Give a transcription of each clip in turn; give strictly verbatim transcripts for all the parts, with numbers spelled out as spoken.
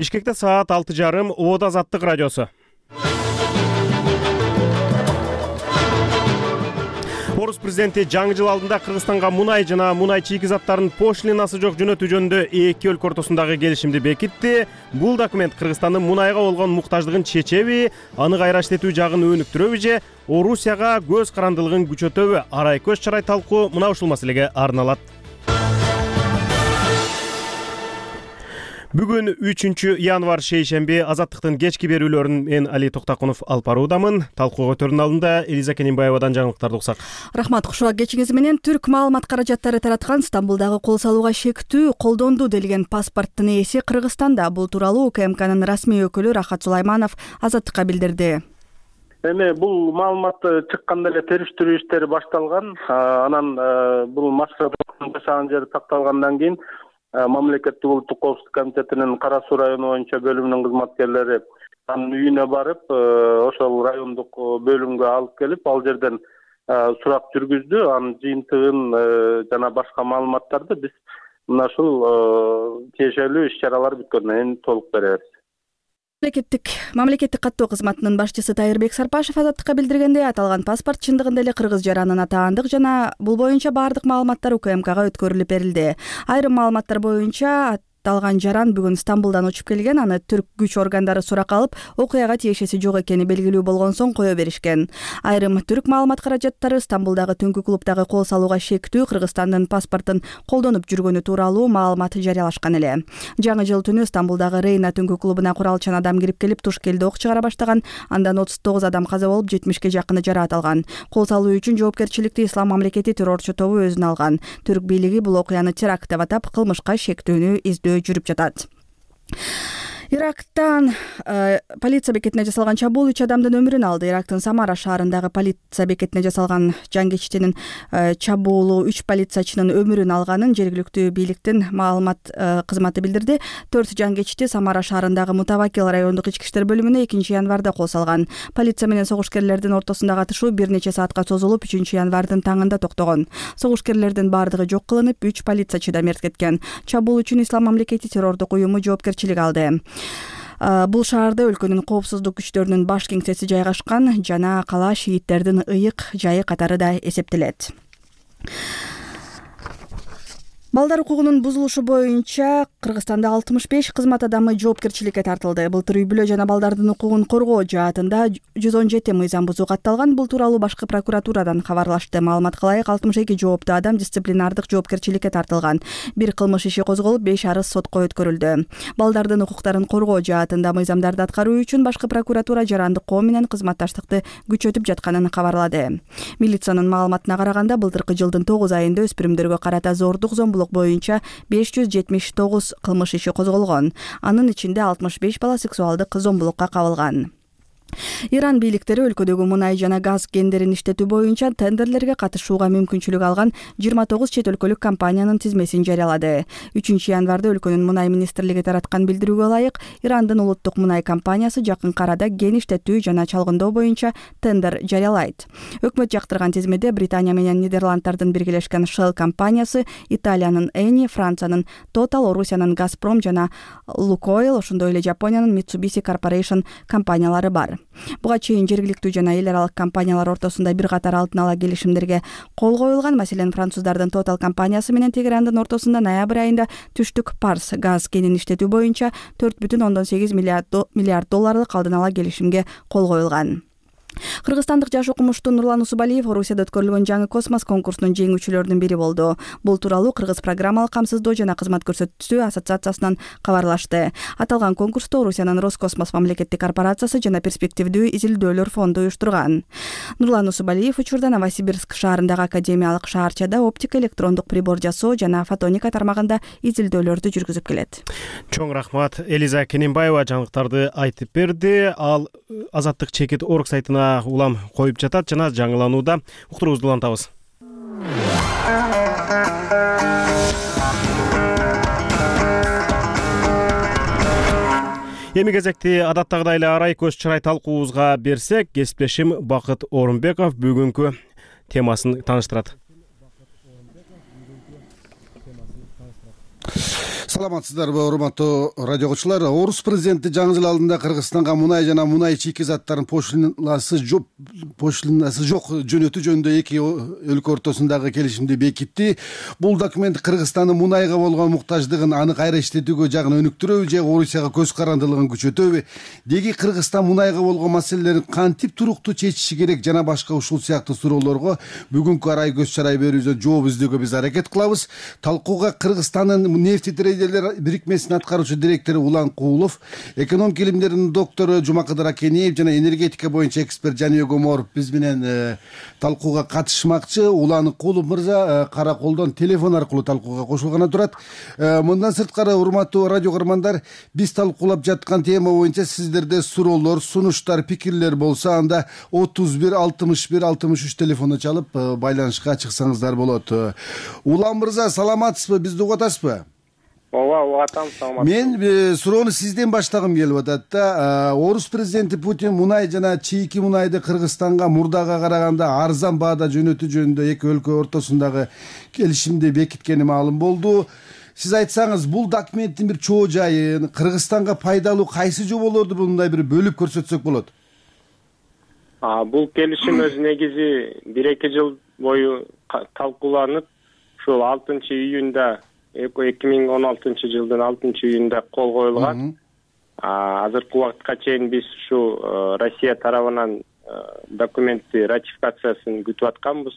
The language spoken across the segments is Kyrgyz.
Бишкекте саат алты жарым Обод Азаттык радиосу. Орус президенти жаңы жыл алдында Кыргызстанга мунай жана мунай чийки заттарын пошлинасы жок жөнөтүү жөнүндө эки өлкө ортосундагы келишимди бекитти. Бул документ Кыргызстандын мунайга болгон муктаждыгын чечеби, аны кайра иштетүү жагын өнүктүрөбү же Орусияга көз карандылыгын күчөтөбү? Арай көз чарай талкуу мына ушул маселеге арналат. Бүгүн үчүнчү январь шейшемби. Азаттыктын кечки берүүлөрүн мен Али Токтакунов алып баруудамын. Талкууга өтөрүнүн алдында Элиза Кененбаевадан жаңылыктарды уксак. Рахмат, кушуак кечиңиз менен. Түрк маалымат каражаттары тараткан Стамбулдагы кол салууга шектүү колдонду делген паспорттун ээси Кыргызстанда. Бул тууралуу УКМКнын расмий өкүлү Рахат Сулайманов Азаттыкка билдирди. Эми бул маалымат чыкканда эле териштирүү иштери башталган. Анан бул максат жасаган жери такталгандан кийин Мамлекеттик улуттук коопсуздук комитетинин Кара Суу району боюнча бөлүмүнүн кызматкерлери анын үйүнө барып, ошол райондук бөлүмгө алып келип, ал жерден сурак жүргүздү. Анын жыйынтыгын жана башка маалыматтарды биз мына ушул тиешелүү иш-чаралар бүткөндөн кийин толук беребиз. Мамлекеттик мамлекеттик каттоо кызматынын башчысы Тайырбек Сарпашев Азаттыкка билдиргендей, аталган паспорт чындыгында эле кыргыз жаранын атаандык жана бул боюнча баардык маалыматтар УКМКга өткөрүлүп берилди. Айрым маалыматтар боюнча аталган жаран бүгүн Стамбулдан учуп келген. Аны түрк күч органдары суракка алып, окуяга тиешеси жок экени белгилүү болгон соң кое беришкен. Айрым түрк маалымат каражаттары Стамбулдагы түнкү клубдагы кол салууга шектүү Кыргызстандын паспортун колдонуп жүргөнү тууралуу маалымат жарыялашкан эле. Жаңы жыл түнү Стамбулдагы Рейна түнкү клубуна куралчан адам кирип келип, туш келди ок чыгара баштаган. Андан отуз тогуз адам каза болуп, жетимишке жакыны жараат алган. Кол салуу үчүн жоопкерчиликти Ислам мамлекети террорчу тобу өзүнө алган. Түрк бийлиги бул окуяны теракт деп атап, кылмышка шектүүнү издөө жүрүп жатат. Ирактан э, полиция бекетине жасалган чабуул үч адамдын өмүрүн алды. Ирактын Самара шаарындагы полиция бекетине жасалган жангечтинин э, чабуулу үч полициячынын өмүрүн алганын жергиликтүү бийликтин маалымат э, кызматы билдирди. Төрт жангечти Самара шаарындагы Мутавакил райондук ички иштер бөлүмүнө экинчи январда кол салган. Полиция менен согушкерлердин ортосундагы атышуу бир нече саатка созулуп, үчүнчү январдын таңында токтогон. Согушкерлердин бардыгы жок кылынып, үч полициячы да мерт кеткен. Чабуул үчүн Ислам мамлекети террордук уюму жоопкерчилик алды. Бул шаарда өлкөнүн коопсуздук күчтөрүнүн баш кеңсеси жайгашкан жана кала шииттердин ыйык жайы катары да эсептелет. Балдар укугунун бузулушу боюнча Кыргызстанда алтымыш беш кызмат адамы жоопкерчиликке тартылды. Былтыр үй-бүлө жана балдардын укугун коргоо жаатында жүз он жети мыйзам бузуу катталган. Бул тууралуу башкы прокуратурадан кабарлашты. Маалыматка ылайык, алтымыш эки жооптуу адам дисциплинардык жоопкерчиликке тартылган. Бир кылмыш иши козголуп, беш арыз сотко өткөрүлдү. Балдардын укуктарын коргоо жаатында мыйзамдарды аткаруу үчүн башкы прокуратура жарандык коом менен кызматташтыкты күчөтүп жатканын кабарлады. Милициянын маалыматына караганда, былтыркы жылдын тогуз айында өспүрүмдөргө карата зордук, зомбулук боюнча беш жүз жетимиш тогуз кылмыш иши козголгон. Анын ичинде алтымыш беш бала сексуалдык зомбулукка кабылган. Иран бийликтери өлкөдөгү мунай жана газ кендерин иштетүү боюнча тендерлерге катышууга мүмкүнчүлүк алган жыйырма тогуз чет өлкөлүк компаниянын тизмесин жарыялады. үчүнчү январда өлкөнүн мунай министрлиги тараткан билдирүүгө ылайык, Ирандын улуттук мунай компаниясы жакынкы арада кен иштетүү жана чалгындоо боюнча тендер жарыялайт. Өкмөт жактырган тизмеде Британия менен Нидерланддардын биргелешкен Shell компаниясы, Италиянын Eni, Франциянын Total, Орусиянын Газпром жана Lukoil, ошондой эле Жапониянын Mitsubishi Corporation компаниялары бар. Буга чейин жергиликтүү жана эл аралык компаниялар ортосунда бир катар алтын ала келишимдерге кол коюлган. Маселен, француздардын Total компаниясы менен Тегерандын ортосунда ноябрь айында түштүк Парс газ кенин иштетүү боюнча төрт бүтүн ондон сегиз миллиард долларлык алдын ала келишимге кол коюлган. Кыргызстандык жаш окумуштуу Нурлан Усубалиев Орусияда өткөрүлгөн жаңы космос конкурсунун жеңүүчүлөрүнүн бири болду. Бул тууралуу Кыргыз программалык камсыздоо жана кызмат көрсөтүүчү ассоциациясынан кабарлашты. Аталган конкурсту Орусиянын Роскосмос мамлекеттик корпорациясы жана перспективдүү изилдөөлөр фонду уюштурган. Нурлан Усубалиев учурда Новосибирск шаарындагы академиялык шаарчада оптика электрондук прибор жасоо жана фотоника тармагында изилдөөлөрдү жүргүзүп келет. Чоң рахмат. Элиза Кененбаева жаңылыктарды айтып берди. Ал Азаттык чекит орг сайтына улам коюп жатат жана жаңыланууда. Уктуруубузду улантабыз. Эми кезекти адаттагыдай эле арай көз чырай талкуубузга берсек, кесиптешим Бакыт Орунбеков бүгүнкү темасын тааныштырат. Саламатсыздарбы, урматтуу радио окуучулар. Орус президенти жаңы жыл алдында Кыргызстанга мунай жана мунай чийки заттарын пошлинасы жок пошлинасы жок жөнөтүү жөнүндө эки өлкө ортосундагы келишимди бекитти. Бул документ Кыргызстандын мунайга болгон муктаждыгын аны кайра иштетүүгө жагын өнүктүрөбү же Орусияга көз карандылыгын күчөтөбү? Деги Кыргызстан мунайга болгон маселелерин кантип туруктуу чечиши керек жана башка ушул сыяктуу суроолорго бүгүнкү арай көз чарай берүүбүздө жооп издөөгө биз аракет кылабыз. Талкууга Кыргызстандын нефти трейдерлер бирикмесинин аткаруучу директору Улан Куулов, экономика илимдеринин доктору Жумакадыр Акенеев жана энергетика боюнча эксперт Жаныбек Оморов биз менен талкууга катышмакчы. Улан Куулов мырза кара колдон телефон аркылуу талкууга кошулганы турат. Мындан сырткары, урматтуу радио көрөрмандар, биз талкуулап жаткан тема боюнча сиздерде суроолор, сунуштар, пикирлер болсо, анда отуз бир алтымыш бир алтымыш үч телефону чалып байланышка чыксаңыздар болот. Улан мырза, саламатсызбы? Бизди угуп атасызбы? Ооба, угуп атам. Саламатсызбы? Мен суроону сизден баштагым келип атат да. Орус президенти Путин мунай жана чийки мунайды Кыргызстанга мурдага караганда арзан баада жөнөтүү жөнүндө эки өлкө ортосундагы келишимди бекиткени маалым болду. Сиз айтсаңыз, бул документтин бир чоо жайын, Кыргызстанга пайдалуу кайсы жоболорду мындай бир бөлүп көрсөтсөк болот? Бул келишим өз негизи бир эки жыл бою талкууланып, ушул алтынчы июнда эки миң он алтынчы жылдын алтынчы июнда кол коюлган. Азыркы убакытка чейин биз ушул Россия тарабынан документти ратификациясын күтүп атканбыз.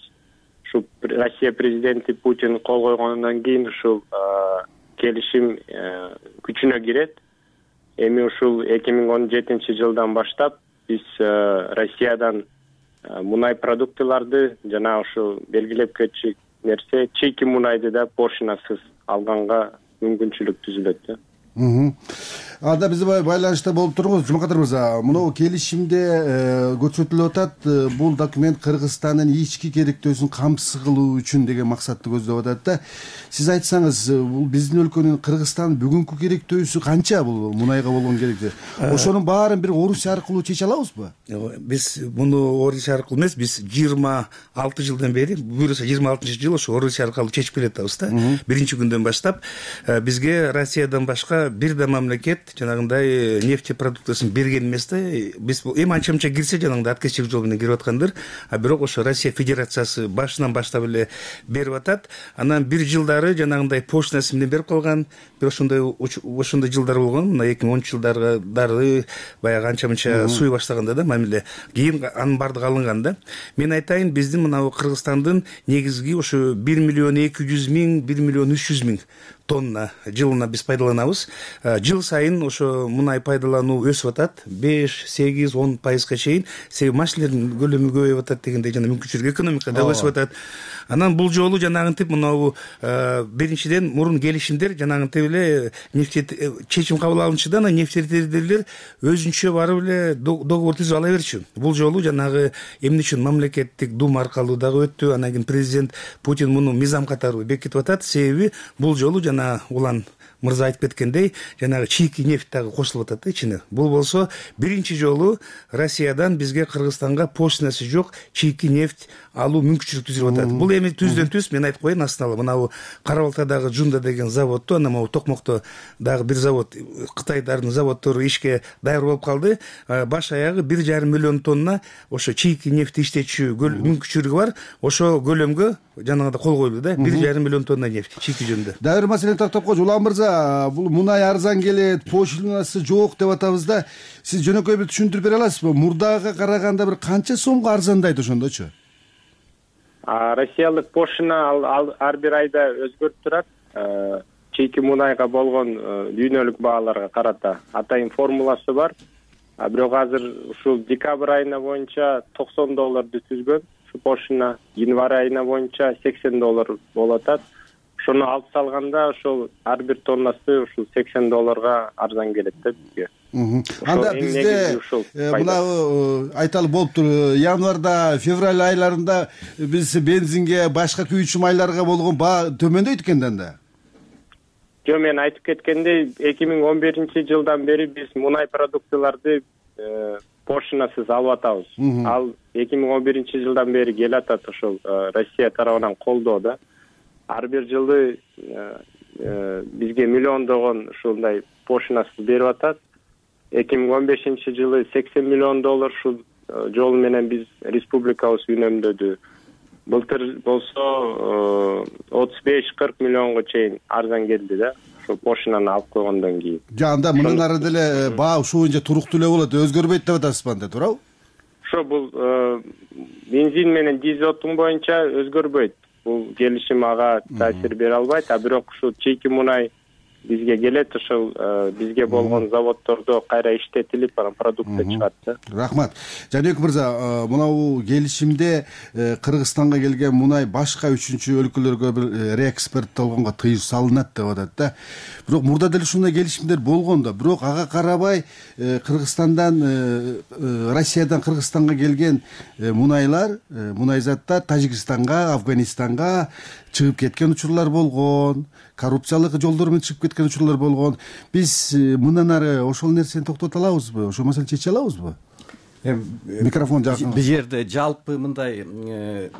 Ушул Россия президенти Путин кол койгондон кийин ушул келишим күчүнө кирет. Эми ушул эки миң он жетинчи жылдан баштап биз Россиядан мунай продуктыларды жана ушул белгилеп кетчү нерсе чийки мунайды да пошлинасыз алганга мүмкүнчүлүк түзүлөт. Анда биз байланышта болуп турбуз. Жумакадыр мырза, мына келишимде көрсөтүлүп атат, бул документ Кыргызстандын ички керектөөсүн камсыз кылуу үчүн деген максатты көздөп атат да. Сиз айтсаңыз, бул биздин өлкөнүн, Кыргызстандын бүгүнкү керектөөсү канча бул мунайга болгон керектөө? Ошонун баарын бир Орусия аркылуу чече алабызбы? Биз муну Орусия аркылуу эмес, биз жыйырма алты жылдан бери, буюрса жыйырма алтынчы жыл ошо Орусия аркылуу чечип келатабыз да. Биринчи күндөн баштап бизге Россиядан башка бир да мамлекет жанагындай нефти продуктысын берген эмес да. Биз эми анча-мынча кирсе жанагындай откачтык жол менен кирип аткандыр. А бирок ошо Россия Федерациясы башынан баштап эле берип атат. Анан бир жылдары жанагындай пошлинасы менен берип калган. Бир ошондой ошондой жылдар болгон. Мына эки миң онунчу жылдары баягы анча-мынча суй баштаганда да мамиле. Кийин анын бардыгы алынган да. Мен айтайын, биздин мына Кыргызстандын негизги ошо бир миллион эки жүз миң, бир миллион үч жүз миң тонна жылына биз пайдаланабыз. Жыл сайын ошо мунай пайдалануу өсүп атат, беш, сегиз, он пайызга чейин. Себеби машинелердин көлөмү көбөйүп атат дегендей жана мүмкүнчүлүк экономика да өсүп атат. Анан бул жолу жанагынтип мынабу биринчиден мурун келишимдер жанагынтип эле нефти чечим кабыл алынчыда анан нефтедерлер өзүнчө барып эле договор түзүп ала берчү. Бул жолу жанагы эмне үчүн мамлекеттик дума аркылуу дагы өттү. Анан кийин президент Путин муну мыйзам катары бекитип атат. Себеби бул жолу жана Улан мырза айтып кеткендей, жанагы чийки нефть дагы кошулуп атат да ичине. Бул болсо биринчи жолу Россиядан бизге Кыргызстанга пошлинасы жок чийки нефть алуу мүмкүнчүлүк түзүлүп атат. Бул эми түздөн түз мен айтып коеюн, астына мынабу Кара Балтадагы Жунда деген заводду, анан могу Токмокто дагы бир завод, Кытайдардын заводдору ишке даяр болуп калды. Баш аягы бир жарым миллион тонна ошо чийки нефть иштетүүчү мүмкүнчүлүгү бар. Ошо көлөмгө жанагыда кол коюлду да, бир жарым миллион тонна нефть чийки жөнүндө. Дагы бир маселени тактап койчу. Улан мырза, бул мунай арзан келет, пошлинасы жок деп атабыз да. Сиз жөнөкөй бир түшүндүрүп бере аласызбы? Мурдага караганда бир канча сомго арзандайт ошондочу? Россиялык пошлина ар бир айда өзгөрүп турат. Чийки мунайга болгон дүйнөлүк бааларга карата атайын формуласы бар. Бирок азыр ушул декабрь айына боюнча токсон долларды түзгөн ушу пошлина, январь айына боюнча сексен доллар болуп атат. Ошону алып салганда ошол ар бир тоннасы ушул сексен долларга арзан келет да бизге. Анда бизде мына айталы болуптур, январда, февраль айларында биз бензинге, башка күйүүчү майларга болгон баа төмөндөйт экен да анда. Жо, мен айтып кеткендей, эки миң он биринчи жылдан бери биз мунай продуктыларды пошлинасыз алып атабыз. Ал эки миң он биринчи жылдан бери келе атат ошол Россия тарабынан колдоо да. Ар бир жылы бизге миллиондогон ушундай пошлинасыз берип атат. эки миң он бешинчи жылы сексен миллион доллар ушул жол менен биз республикабыз үнөмдөдү. Былтыр болсо отуз беш кырк миллионго чейин арзан келди да, ошо пошлинаны алып койгондон кийин. Жанда мындан ары деле баа ушул боюнча туруктуу эле болот, өзгөрбөйт деп атасызбы анда, туурабы? Ошо бул бензин менен дизель отун боюнча өзгөрбөйт. Бул келишим ага таасир бере албайт, а бирок ушул чийки мунай бизге келет, ошол бизге болгон заводдордо кайра иштетилип, анан продукция чыгат да. Рахмат. Жаныбек мырза, мынабу келишимде Кыргызстанга келген мунай башка үчүнчү өлкөлөргө бир реэкспорттолгонго тыюу салынат деп атат да. Бирок мурда деле ушундай келишимдер болгон да. Бирок ага карабай Кыргызстандан, Россиядан Кыргызстанга келген мунайлар, мунай заттар Тажикстанга, Афганистанга чыгып кеткен учурлар болгон, коррупциялык жолдор менен чыгып кеткен учурлар болгон. Биз мындан ары ошол нерсени токтото алабызбы? Ошол маселени чече алабызбы? Микрофон жакын. Бул жерде жалпы мындай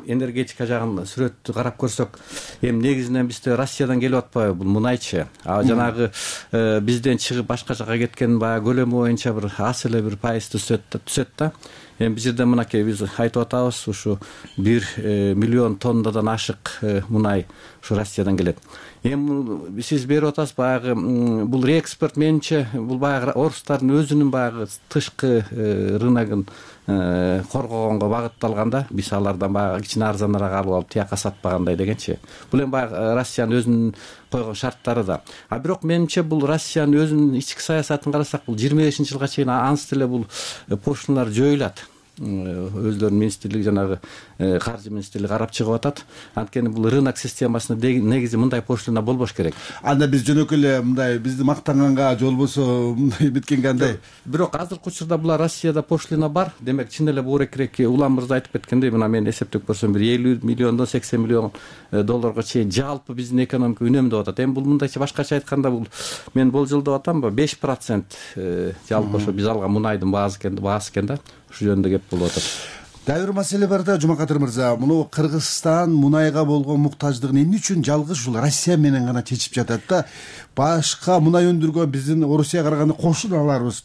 энергетика жагын сүрөттү карап көрсөк, эми негизинен бизде Россиядан келип атпайбы бул мунайчы. А жанагы бизден чыгып башка жака кеткен баягы көлөмү боюнча бир аз эле бир пайыз түсөт түсөт да. Эми бул жерде мынакей биз айтып атабыз, ушу бир миллион тоннадан ашык мунай ушу Россиядан келет. Эми сиз берип атасыз баягы бул реэкспорт менимче бул баягы орустардын өзүнүн баягы тышкы рыногун коргогонго багытталган да. Биз алардан баягы кичине арзаныраак алып алып тияка сатпагандай дегенчи. Бул эми баягы Россиянын өзүнүн койгон шарттары да. А бирок менимче бул Россиянын өзүнүн ички саясатын карасак, бул жыйырма бешинчи жылга чейин ансы деле бул пошлиналар жоюлат. Өздөрүнүн министрлиги, жанагы каржы министрлиги карап чыгып атат. Анткени бул рынок системасында негизи мындай пошлина болбош керек. Анда биз жөнөкөй эле мындай бизди мактанганга, же болбосо мындай биткенге андай. Бирок азыркы учурда була Россияда пошлина бар. Демек чын эле буурекирээк Улам мырза айтып кеткендей, мына мен эсептеп көрсөм бир элүү миллиондон сексен миллион долларга чейин жалпы биздин экономика үнөмдөп атат. Эми бул мындайча башкача айтканда бул мен болжолдоп атамбы, беш процент жалпы ошо биз алган мунайдын баасы экен, баасы экен да. Ушул жөнүндө кеп болуп атат. Дагы бир маселе бар да, Жумакадыр мырза. Муну Кыргызстан мунайга болгон муктаждыгын эмне үчүн жалгыз ушул Россия менен гана чечип жатат да? Башка мунай өндүргөн биздин Орусияга караганда кошуналарыбыз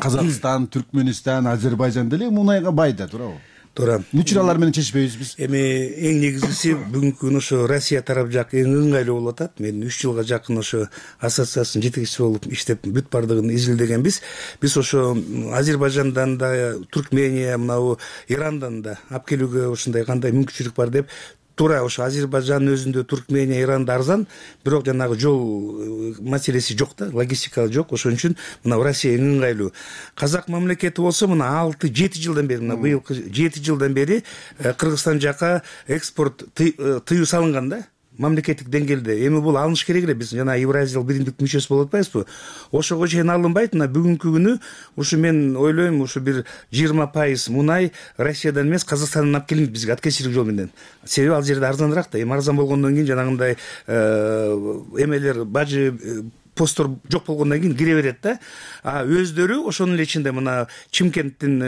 Казакстан, Түркмөнстан, Азербайжан деле мунайга бай да, туурабы? Туура. Эмне үчүн алар менен чечпейбиз биз? Эми эң негизгиси бүгүнкү күнү ошо Россия тарап жак эң ыңгайлуу болуп атат. Мен үч жылга жакын ошо ассоциациянын жетекчиси болуп иштеп бүт бардыгын изилдегенбиз. Биз ошо Азербайжандан да, Туркмения, мынабу Ирандан да алып келүүгө ушундай кандай мүмкүнчүлүк бар деп. Туура, ошо Азербайжандын өзүндө Туркмения, Иранда арзан, бирок жанагы жол маселеси жок да, логистика жок. Ошон үчүн мына Россия эң ыңгайлуу. Казак мамлекети болсо мына алты жети жылдан бери, мына быйылкы жети жылдан бери Кыргызстан жака экспорт тыюу салынган да. Мамлекеттик деңгээлде. Эми бул алыныш керек эле, биз жана Евразиялык биримдик мүчөсү болуп атпайбызбы? Ошого чейин алынбайт. Мына бүгүнкү күнү ушу мен ойлойм, ушу бир жыйырма пайыз мунай Россиядан эмес, Казакстандан алып келинет бизге откачтык жол менен. Себеби ал жерде арзаныраак да. Эми арзан болгондон кийин жанагындай эмелер, бажы посттор жок болгондон кийин кире берет да. А өздөрү ошонун эле ичинде мына Чимкенттин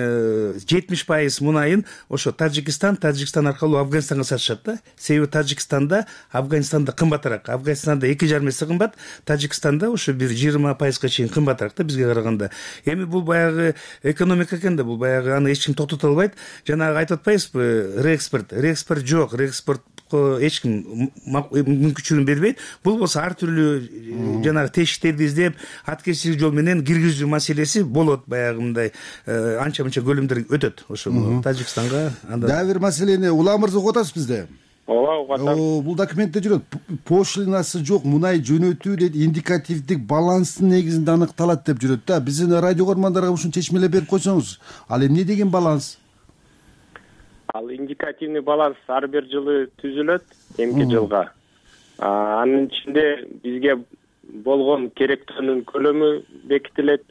жетимиш пайыз мунайын ошо Тажикстан, Тажикстан аркылуу Афганистанга сатышат да. Себеби Тажикстанда, Афганистанда кымбатыраак. Афганистанда эки жарым эсе кымбат, Тажикстанда ошо бир жыйырма пайызга чейин кымбатыраак да бизге караганда. Эми бул баягы экономика экен да, бул баягы аны эч ким токтото албайт. Жанагы айтып атпайбызбы, реэкспорт, реэкспорт жок, реэкспорт эч ким мүмкүнчүлүгүн бербейт. Бул болсо ар түрлүү жанагы тешиктерди издеп, откачтык жол менен киргизүү маселеси болот, баягы мындай анча-мынча көлөмдөр өтөт ошо Тажикстанга. Дагы бир маселени Улам мырза угуп атасыз бизде? Ооба, угуп атам. Бул документте жүрөт. Пошлинасы жок, мунай жөнөтүү дейт, индикативдик баланстын негизинде аныкталат деп жүрөт да. Биздин радио көрмандарга ушуну чечмелеп берип койсоңуз, ал эмне деген баланс? Ал индикативный баланс ар бир жылы түзүлөт, эмки жылга. Анын ичинде бизге болгон керектөөнүн көлөмү бекитилет.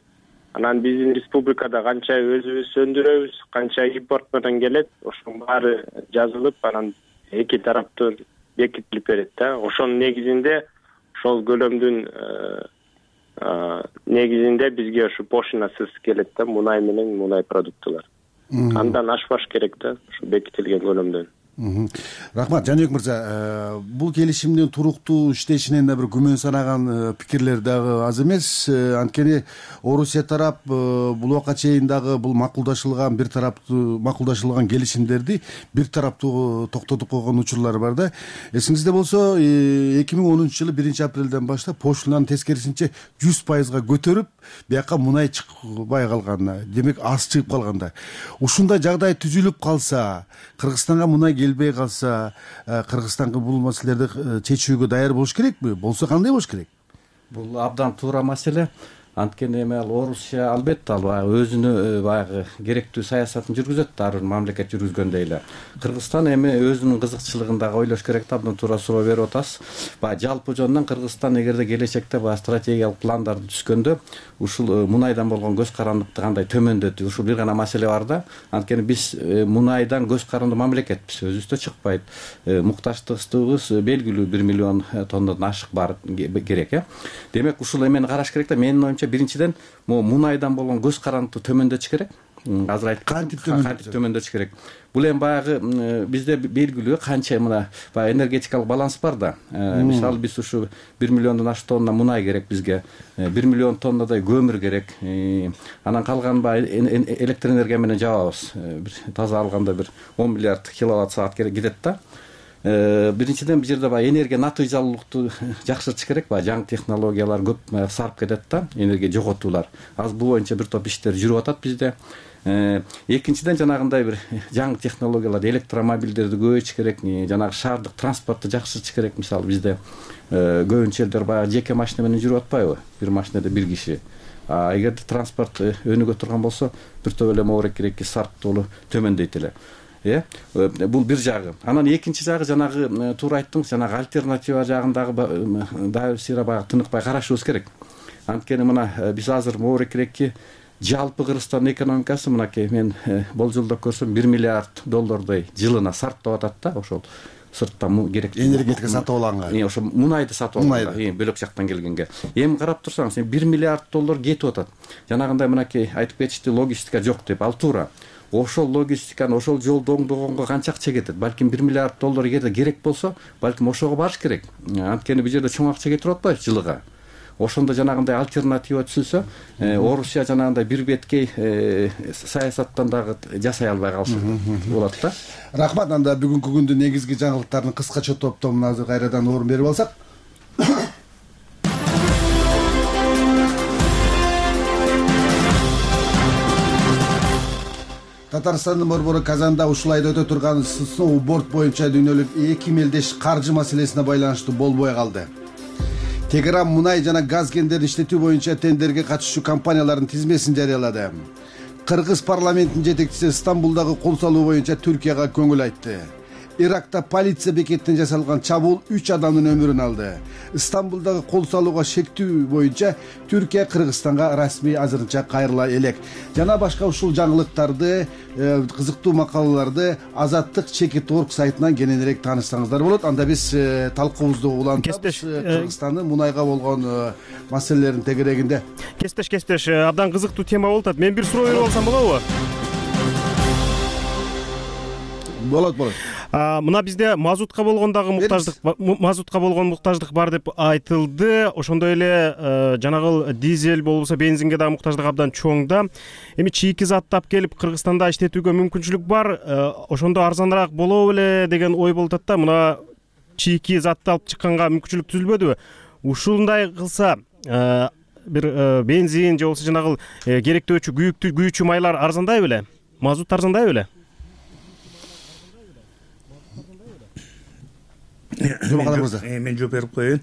Анан биздин республикада канча өзүбүз өндүрөбүз, канча импорт менен келет, ошонун баары жазылып, анан эки тараптан бекитилип берет да. Ошонун негизинде ошол көлөмдүн негизинде бизге ошо пошлинасыз келет да, мунай менен мунай продуктылар. Андан ашпаш керек да, ушу бекитилген көлөмдөн. Рахмат. Жаныбек мырза, бул келишимдин туруктуу иштешинен да бир күмөн санаган пикирлер дагы аз эмес. Анткени Орусия тарап бул убакка чейин дагы бул макулдашылган бир тараптуу макулдашылган келишимдерди бир тараптуу токтотуп койгон учурлар бар да. Эсиңизде болсо эки миң онунчу жылы биринчи апрелден баштап пошлинаны тескерисинче жүз пайызга көтөрүп, бияка мунай чыкпай калган, демек аз чыгып калганда. Ушундай жагдай түзүлүп калса, Кыргызстанга мунай келбей калса, Кыргызстанга бул маселелерди чечүүгө даяр болуш керекпи? Болсо кандай болуш керек? Бул абдан туура маселе. Анткени эми ал Орусия албетте ал баягы өзүнүн баягы керектүү саясатын жүргүзөт, ар бир мамлекет жүргүзгөндөй эле. Кыргызстан эми өзүнүн кызыкчылыгын дагы ойлош керек да, абдан туура суроо берип атасыз. Баягы жалпы жөнүнөн Кыргызстан эгерде келечекте баягы стратегиялык пландарды түзгөндө ушул мунайдан болгон көз карандыкты кандай төмөндөтүү, ушул бир гана маселе бар да. Анткени биз мунайдан көз каранды мамлекетпиз, өзүбүздө чыкпайт. Муктаждыгыбыз белгилүү бир миллион тоннадан ашык бар керек, э. Демек ушул эмени караш керек да. Менин оюмча биринчиден могу мунайдан болгон көз карандыкты төмөндөтүш керек. Азыр айттым, кантип төмөндөтүш керек. Бул эми баягы бизде белгилүү канча мына баягы энергетикалык баланс бар да. Мисалы биз ушу бир миллиондон ашык тонна мунай керек бизге, бир миллион тоннадай көмүр керек. Анан калган баягы электр энергия менен жабабыз. Бир таза алганда бир он миллиард киловатт саат керек кетет да. Биринчиден бул жерде баягы энергия натыйжалуулукту жакшыртыш керек, баягы жаңы технологиялар көп сарп кетет да, энергия жоготуулар. Азыр бул боюнча бир топ иштер жүрүп атат бизде. Экинчиден жанагындай бир жаңы технологияларды, электромобилдерди көбөйтүш керек, жанагы шаардык транспортту жакшыртыш керек. Мисалы бизде көбүнчө элдер баягы жеке машина менен жүрүп атпайбы? Бир машинада бир киши. А эгерде транспорт өнүгө турган болсо, бир топ эле могуреки сарптоолу төмөндөйт эле. Э, бул бир жагы. Анан экинчи жагы жанагы туура айттыңыз, жанагы альтернатива жагындагы дайыр сыйра баягы тыныкпай карашыбыз керек. Анткени мына биз азыр могурекирээки жалпы Кыргызстандын экономикасы мынакей мен болжолдоп көрсөм бир миллиард доллардай жылына сарптап атат да, ошол сырттан керектүү энергетика сатып алганга. Э, ошо мунайды сатып алганга, бөлөк жактан келгенге. Эми карап турсаңыз, бир миллиард доллар кетип атат. Жанагындай мынакей айтып кетишти, логистика жок деп, ал туура. Ошол логистиканы, ошол жолду оңдогонго канча акча кетет? Балким бир миллиард доллар эгерде керек болсо, балким ошого барыш керек. Анткени бул жерде чоң акча кетирип атпайбы жылыга? Ошондо жанагындай альтернатива түзүлсө, Орусия жанагындай бир беткей саясаттан дагы жасай албай калышы болот да. Рахмат. Анда бүгүнкү күндүн негизги жаңылыктарын кыскача топтомуна азыр кайрадан орун берип алсак. Татарстандын борбору Казанда ушул айда өтө турган сноуборд боюнча дүйнөлүк эки мелдеш каржы маселесине байланыштуу болбой калды. Тегеран мунай жана газ кендерин иштетүү боюнча тендерге катышуучу компаниялардын тизмесин жарыялады. Кыргыз парламентинин жетекчиси Стамбулдагы кол салуу боюнча Түркияга көңүл айтты. Иракта полиция бекетинен жасалган чабуул үч адамдын өмүрүн алды. Стамбулдагы кол салууга шектүү боюнча Түркия Кыргызстанга расмий азырынча кайрыла элек. Жана башка ушул жаңылыктарды, кызыктуу макалаларды Азаттык чекит орг сайтынан кененирээк таанышсаңыздар болот. Анда биз талкуубузду улантабыз Кыргызстандын мунайга болгон маселелердин тегерегинде. Кестеш, кестеш, абдан кызыктуу тема болуп атат. Мен бир суроо берип алсам болобу? Болот, болот. Мына бизде мазутка болгон дагы муктаждык, мазутка болгон муктаждык бар деп айтылды. Ошондой эле жанагыл дизель болбосо бензинге дагы муктаждык абдан чоң да. Эми чийки затты алып келип Кыргызстанда иштетүүгө мүмкүнчүлүк бар. Ошондо арзаныраак болобу эле деген ой болуп атат да. Мына чийки затты алып чыкканга мүмкүнчүлүк түзүлбөдүбү? Ушундай кылса бир бензин же болбосо жанагыл керектөөчү күйүктүү күйүүчү майлар арзандайбы эле? Мазут арзандайбы эле? Мен жооп берип коеюн.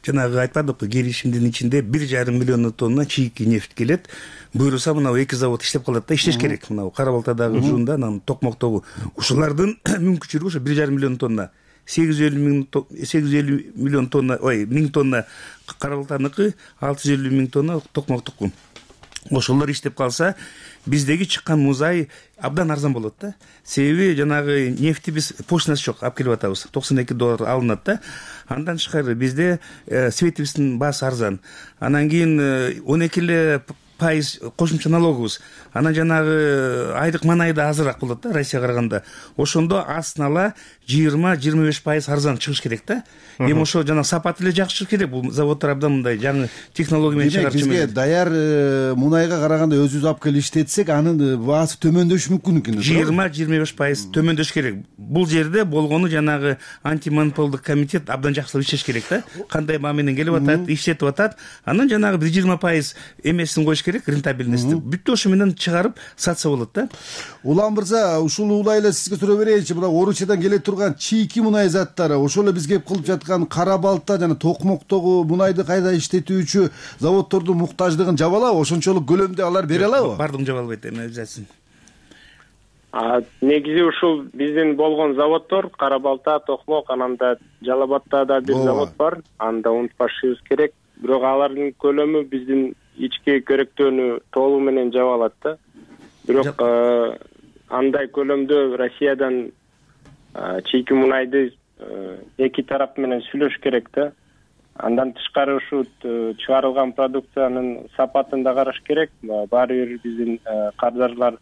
Жанагы айтпадыкпы, келишимдин ичинде бир жарым миллион тонна чийки нефть келет. Буюрса мына эки завод иштеп калат да, иштеш керек. Мына Кара Балтадагы ужунда, анан Токмоктогу. Ушулардын мүмкүнчүлүгү ошо бир жарым миллион тонна. сегиз жүз элүү миң сегиз жүз элүү миллион тонна, ой, миң тонна Кара Балтаныкы, алты жүз элүү миң тонна Токмоктуку. Ошолор иштеп калса, биздеги чыккан музай абдан арзан болот да. Себеби жанагы нефти биз поштасы жок, алып келип атабыз. токсон эки доллар алынат да. Андан тышкары бизде светибиздин баасы арзан. Анан кийин он эки эле пайыз кошумча налогубуз. Анан жанагы айлык маанай да азыраак болот да Россияга караганда. Ошондо астын ала жыйырма жыйырма беш пайыз арзан чыгыш керек да. Эми ошо жана сапаты эле жакшы чыгыш керек. Бул заводдор абдан мындай жаңы технология менен чыгарып жүрөт. Бизге даяр мунайга караганда өзүбүз алып келип иштетсек, анын баасы төмөндөшү мүмкүн экен. жыйырма жыйырма беш пайыз төмөндөш керек. Бул жерде болгону жанагы антимонополдук комитет абдан жакшылап иштеш керек да. Кандай маа менен келип атат, иштетип атат. Анан жанагы бир жыйырма пайыз эмесин коюш керек, рентабельности. Бүттү ошо менен чыгарып сатса болот да. Улан мырза, ушул улай эле сизге суроо берейинчи. Мына Орусиядан келе турган чийки мунай заттары, ошол эле бизге кылып жаткан кара балта жана токмоктогу мунайды кайда иштетүүчү заводдордун муктаждыгын жаба алабы? Ошончолук көлөмдө алар бере алабы? Бардыгын жаба албайт эми обязательно. А негизи ушул биздин болгон заводдор кара балта, токмок, анан да Жалал Абадта да бир завод бар. Аны да унутпашыбыз керек. Бирок алардын көлөмү биздин ички керектөөнү толугу менен жаба алат да. Бирок андай көлөмдө Россиядан чийки мунайды эки тарап менен сүйлөш керек да. Андан тышкары ушу чыгарылган продукциянын сапатын да караш керек. Баары бир биздин кардарлар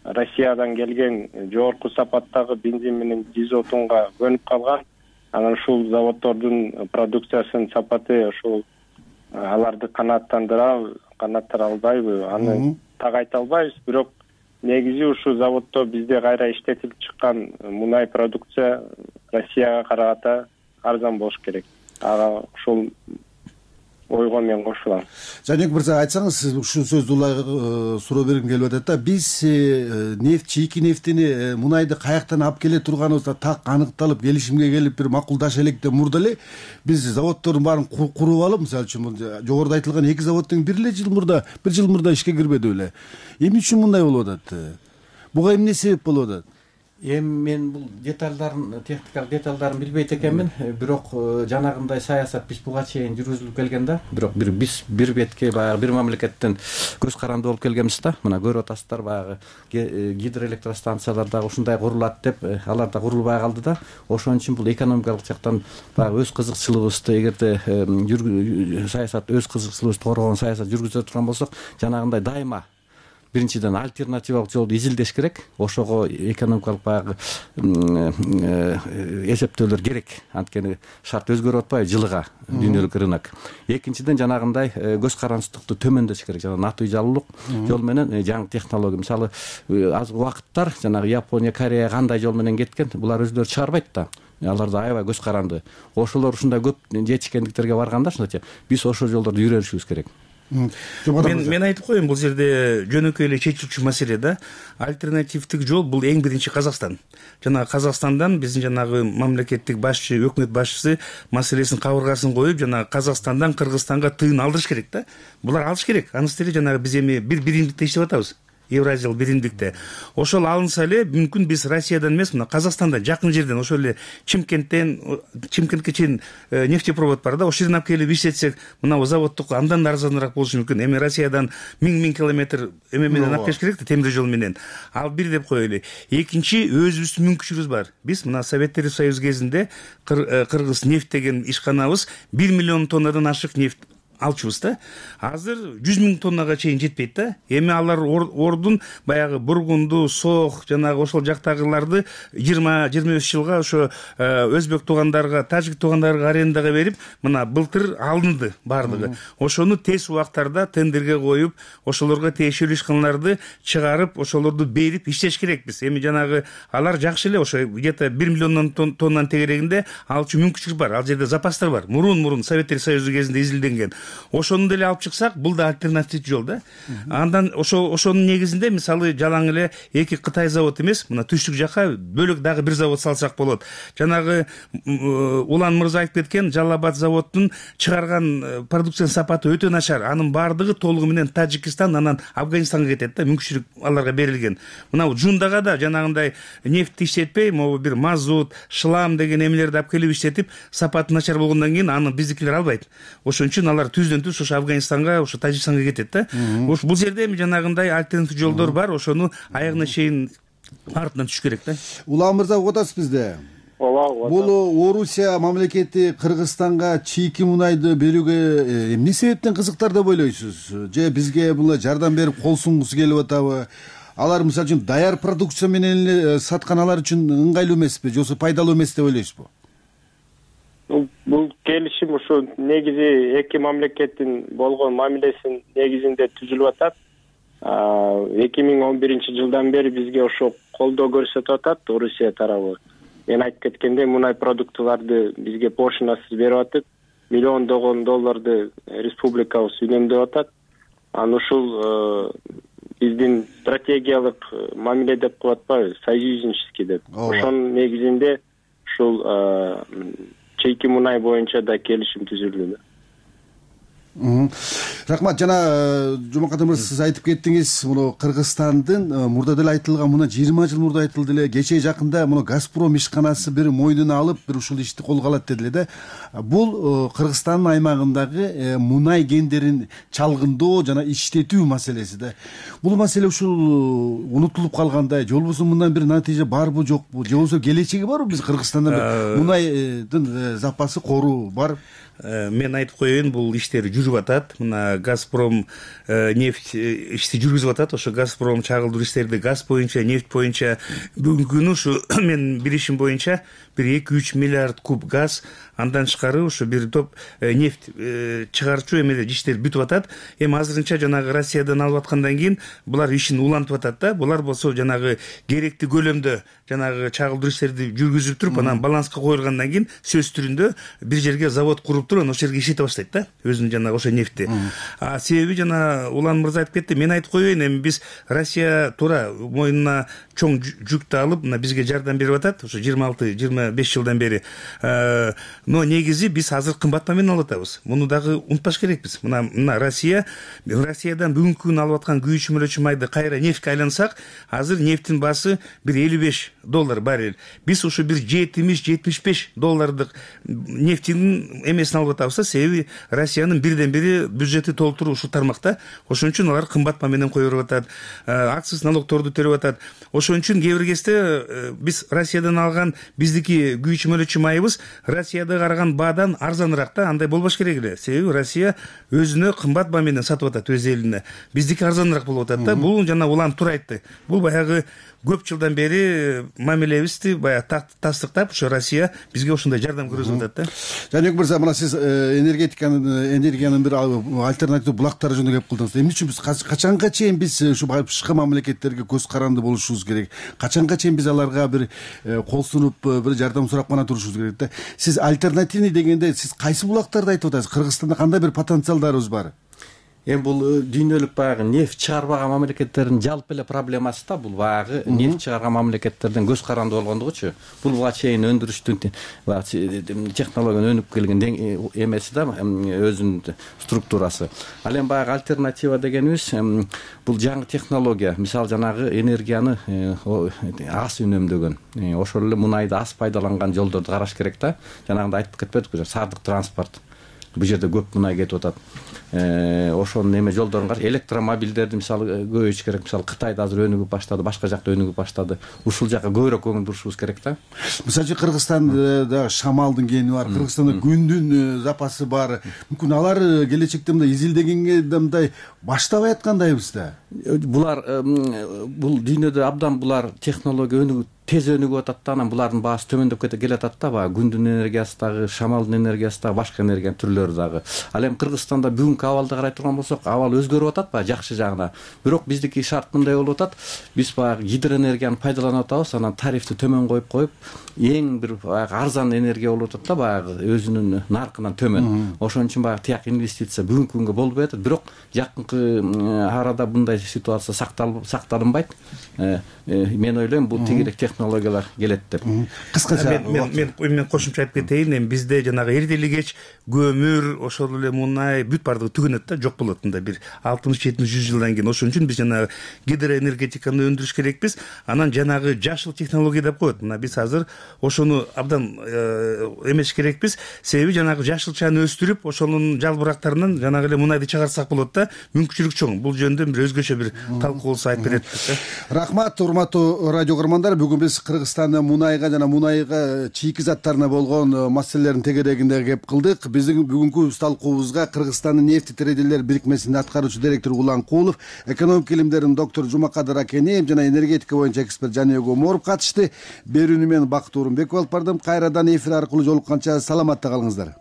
Россиядан келген жогорку сапаттагы бензин менен дизотунга көнүп калган. Анан ушул заводдордун продукциясынын сапаты ушул аларды канааттандыра канааттандыра албайбы, аны так айта албайбыз. Бирок негизи ушул заводдо бизде кайра иштетилип чыккан мунай продукция Россияга караганда арзан болуш керек. Ага ушул ойго мен кошулам. Жанек мырза, айтсаңыз, сиз ушул сөздү улай суроо бергим келип атат да. Биз нефт, чийки нефтини, мунайды каяктан алып келе турганыбызда так аныкталып, келишимге келип бир макулдаша элек мурда эле биз заводдордун баарын куруп алып, мисалы үчүн жогоруда айтылган эки заводдун бир эле жыл мурда, бир жыл мурда ишке кирбеди беле. Эмне үчүн мындай болуп атат? Буга эмне себеп болуп атат? Эми мен бул деталдарын, техникалык деталдарын билбейт экенмин. Бирок жанагындай саясат биз буга чейин жүргүзүлүп келген да. Бирок бир биз бир бетке баягы бир мамлекеттен көз каранды болуп келгенбиз да. Мына көрүп атасыздар, баягы гидроэлектростанциялар дагы ушундай курулат деп, алар да курулбай калды да. Ошон үчүн бул экономикалык жактан баягы өз кызыкчылыгыбызды, эгерде саясат өз кызыкчылыгыбызды коргогон саясат жүргүзө турган болсок, жанагындай дайыма биринчиден альтернативалык жолду изилдеш керек. Ошого экономикалык баягы эсептөөлөр керек. Анткени шарт өзгөрүп атпайбы жылыга дүйнөлүк рынок. Экинчиден жанагындай көз карандысыздыкты төмөндөтүш керек. Жана натыйжалуулук жол менен жаңы технология. Мисалы азыр убакыттар жанагы Япония, Корея кандай жол менен кеткен, булар өзүлөрү чыгарбайт да. Алар да аябай көз каранды. Ошолор ушундай көп жетишкендиктерге барганда, ушунча биз ошол жолдорду жүрүшүбүз керек. Мен мен айтып коеюн, бул жерде жөнөкөй эле чечилчү маселе да. Альтернативдик жол бул эң биринчи Казакстан. Жана Казакстандан биздин жанагы мамлекеттик башчы, өкмөт башчысы маселесин кабыргасын коюп, жана Казакстандан Кыргызстанга тыйын алдырыш керек да. Булар алыш керек. Анысы эле жанагы биз эми бир биримдикте иштеп атабыз. Евразиялык биримдикте. Ошол алынса эле мүмкүн биз Россиядан эмес, мына Казакстандан, жакын жерден, ошол эле Чимкенттен, Чимкентке чейин нефтепровод бар да, ошол жерден алып келип иштетсек, мына заводдук андан да арзаныраак болушу мүмкүн. Эми Россиядан миң-миң километр эме менен алып келиш керек да, темир жол менен. Ал бир деп коелу. Экинчи, өзүбүздүн мүмкүнчүлүгүбүз бар. Биз мына Советтер Союзу кезинде Кыргыз нефт деген ишканабыз бир миллион тоннадан ашык нефт алчубуз да. Азыр жүз миң тоннага чейин жетпейт да. Эми алар ордун баягы Бургунду, Сох, жанагы ошол жактагыларды жыйырма жыйырма беш жылга ошо өзбек туугандарга, тажик туугандарга арендага берип, мына былтыр алынды баардыгы. Ошону тез убактарда тендерге коюп, ошолорго тиешелүү ишканаларды чыгарып, ошолорду берип иштеш керекпиз. Эми жанагы алар жакшы эле, ошо где-то бир миллион тоннанын тегерегинде алчу мүмкүнчүлүк бар. Ал жерде запастар бар. Мурун-мурун Советтер Союзу кезинде изилденген. Ошону деле алып чыксак, бул да альтернатив жол да. Андан ошо ошонун негизинде мисалы жалаң эле эки Кытай завод эмес, мына түштүк жака бөлөк дагы бир завод салсак болот. Жанагы Улан мырза айтып кеткен Жалал Абад заводунун чыгарган продукциянын сапаты өтө начар. Анын баардыгы толугу менен Тажикстан, анан Афганистанга кетет да, мүмкүнчүлүк аларга берилген. Мына Жундага да жанагындай нефтти иштетпей, могу бир мазут, шлам деген эмелерди алып келип иштетип, сапаты начар болгондон кийин аны биздикилер албайт. Ошон үчүн алар түздөн түз ошо Афганистанга, ошо Тажикстанга кетет да. Бул жерде эми жанагындай альтернатив жолдор бар, ошону аягына чейин артынан түшүш керек да. Улан мырза, угатасыз бизде? ооба ооба. Бул Орусия мамлекети Кыргызстанга чийки мунайды берүүгө эмне себептен кызыктар деп ойлойсуз? Же бизге була жардам берип кол сунгусу келип атабы? Алар мисалы үчүн даяр продукция менен эле саткан алар үчүн ыңгайлуу эмеспи, же болбосо пайдалуу эмес деп ойлойсузбу? Бул келишим ушу негизи эки мамлекеттин болгон мамилесинин негизинде түзүлүп атат. эки миң он биринчи жылдан бери бизге ошо колдоо көрсөтүп атат Орусия тарабы. Мен айтып кеткендей, мунай продуктыларды бизге пошлинасыз берип атып, миллиондогон долларды республикабыз үнөмдөп атат. Анан ушул биздин стратегиялык мамиле деп коюп атпайбы, союзнический деп. Ошонун негизинде ушул чийки мунай боюнча да келишим түзүлдү. Рахмат. Жана Жомарт мырза, сиз айтып кеттиңиз, муну Кыргызстандын мурда деле айтылган, мына жыйырма жыл мурда айтылды эле, кечээ жакында муну Газпром ишканасы бир мойнуна алып, бир ушул ишти колго алат деди эле да. Бул Кыргызстандын аймагындагы мунай кендерин чалгындоо жана иштетүү маселеси да. Бул маселе ушул унутулуп калгандай, же болбосо мындан бир натыйжа барбы жокпу, же болбосо келечеги барбы? Биз Кыргызстанда мунайдын запасы кору бар. Мен айтып коеюн, бул иштер жүрүп атат. Мына Газпром нефть ишти жүргүзүп атат. Ошо Газпром чагылдыруу иштерди газ боюнча, нефть боюнча бүгүнкү күнү ушу мен билишим боюнча бир эки үч миллиард куб газ, андан тышкары ушу бир топ нефть чыгарчу эмелер иштер бүтүп атат. Эми азырынча жанагы Россиядан алып аткандан кийин булар ишин улантып атат да. Булар болсо жанагы керектүү көлөмдө жанагы чагылдыруу иштерди жүргүзүп туруп, анан баланска коюлгандан кийин сөз түрүндө бир жерге завод куруп туруп, ошол жерге иштете баштайт да, өзүнүн жанагы ошо нефти. А себеби жана Улан мырза айтып кетти, мен айтып коеюн, эми биз Россия туура мойнуна чоң жүктү алып, мына бизге жардам берип атат, ошо жыйырма алты жыйырма беш жылдан бери. Но негизи биз азыр кымбат менен алып атабыз. Муну дагы унутпаш керекпиз. Мына мына Россия, Россиядан бүгүнкү күнү алып аткан күйүүчү мөлөчү майды кайра нефтке айлансак, азыр нефтин баасы бир элүү беш доллар баррель. Биз ушу бир жетимиш жетимиш беш доллардык нефтинин эмесин алып атабыз да, себеби Россиянын бирден бири бюджети толтуруу ушул тармакта. Ошон үчүн алар кымбат менен коюп атат, акциз налогторду төлөп атат. Ошон үчүн кээ бир кезде биз Россиядан алган биздики күйүүчү мөлөчү майыбыз Россияда караган баадан арзаныраак да, андай болбош керек эле. Себеби Россия өзүнө кымбат баа менен сатып атат өз элине. Биздики арзаныраак болуп атат да. Бул жана Улан туура айтты. Бул баягы көп жылдан бери мамилебизди баягы тастыктап, ошо Россия бизге ошондой жардам көрсөтүп атат да. Жаныбек мырза, мына сиз энергетиканын энергиянын бир альтернатив булактары жөнүндө кеп кылдыңыз. Эмне үчүн биз качанга чейин биз ушу башка мамлекеттерге көз каранды болушубуз керек? Качанга чейин биз аларга бир кол сунуп, бир жардам сурап гана турушубуз керек да? Сиз альтернативный дегенде сиз кайсы булактарды айтып атасыз? Кыргызстанда кандай бир потенциалдарыбыз бар? Эми бул дүйнөлүк баягы нефть чыгарбаган мамлекеттердин жалпы эле проблемасы да, бул баягы нефть чыгарган мамлекеттерден көз каранды болгондугучу. Бул буга чейин өндүрүштүн технологиянын өнүп келген эмеси да, өзүнүн структурасы. Ал эми баягы альтернатива дегенибиз бул жаңы технология. Мисалы жанагы энергияны аз үнөмдөгөн, ошол эле мунайды аз пайдаланган жолдорду караш керек да. Жанагындай айтып кетпедикпи, саардык транспорт. Бул жерде көп мунай кетип атат. Ошонун эме жолдорун караш, электромобилдерди мисалы көбөйтүш керек. Мисалы Кытайда азыр өнүгүп баштады, башка жакта өнүгүп баштады. Ушул жака көбүрөөк көңүл бурушубуз керек да. Мисалы Кыргызстанда шамалдын кени бар, Кыргызстанда күндүн запасы бар. Мүмкүн алар келечекте мындай изилдегенге мындай баштабай аткандайбыз да. Булар бул дүйнөдө абдан булар технология өнүгүп тез өнүгүп атат да, анан булардын баасы төмөндөп кете атат да, баягы күндүн энергиясы дагы, шамалдын энергиясы дагы, башка энергиянын түрлөрү дагы. Ал эми Кыргызстанда бүгүнкү абалды карай турган болсок, абал өзгөрүп атат баягы жакшы жагына. Бирок биздики шарт мындай болуп атат. Биз баягы гидроэнергияны пайдаланып атабыз, анан тарифти төмөн коюп коюп, эң бир баягы арзан энергия болуп атат да, баягы өзүнүн наркынан төмөн. Ошон үчүн баягы тияк инвестиция бүгүнкү күнгө болбой атат. Бирок жакынкы арада мындай ситуация сакталынбайт. Мен ойлойм, бул тегерек технологиялар келет деп. Кыскача мен мен мен кошумча айтып кетейин. Эми бизде жанагы эртели кеч көмүр, ошол эле мунай бүт бардыгы түгөнөт да, жок болот мында бир алтымыш жетимиш жүз жылдан кийин. Ошон үчүн биз жанагы гидроэнергетиканы өндүрүш керекпиз. Анан жанагы жашыл технология деп коет. Мына биз азыр ошону абдан эмеш керекпиз. Себеби жанагы жашылчаны өстүрүп, ошонун жалбырактарынан жанагы эле мунайды чыгарсак болот да. Мүмкүнчүлүк чоң. Бул жөнүндө бир өзгөчө бир талкуу болсо айтып берет. Рахмат, урматтуу радио көрөрмандар. Бүгүн биз Кыргызстандын мунайга жана мунайга чийки заттарына болгон маселелердин тегерегинде кеп кылдык. Биздин бүгүнкү талкуубузга Кыргызстандын нефти трейдерлер бирикмесинин аткаруучу директору Улан Кулов, экономика илимдеринин доктору Жумакадыр Акенеев жана энергетика боюнча эксперт Жаныбек Оморов катышты. Берүүнү мен Бакыт Орунбеков алып бардым. Кайрадан эфир аркылуу жолукканча саламатта калыңыздар.